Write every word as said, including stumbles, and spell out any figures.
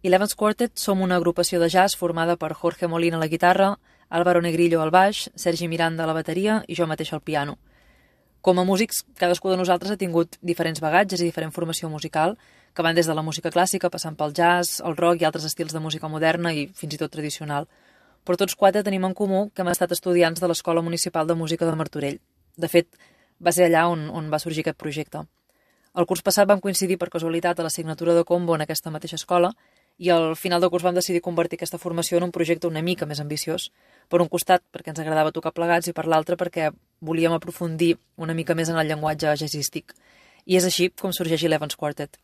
Eleven's Quartet som una agrupació de jazz formada per Jorge Molina a la guitarra, Álvaro Negrillo al baix, Sergi Miranda a la bateria i jo mateix al piano. Com a músics, cadascú de nosaltres ha tingut diferents bagatges i diferent formació musical, que van des de la música clàssica, passant pel jazz, el rock i altres estils de música moderna i fins i tot tradicional. Però tots quatre tenim en comú que hem estat estudiants de l'Escola Municipal de Música de Martorell. De fet, va ser allà on, on va sorgir aquest projecte. El curs passat vam coincidir per casualitat a l'assignatura de combo en aquesta mateixa escola i al final del curs vam decidir convertir aquesta formació en un projecte una mica més ambiciós. Per un costat, perquè ens agradava tocar plegats, i per l'altre, perquè volíem aprofundir una mica més en el llenguatge jazzístic. I és així com sorgeix Eleven's Quartet.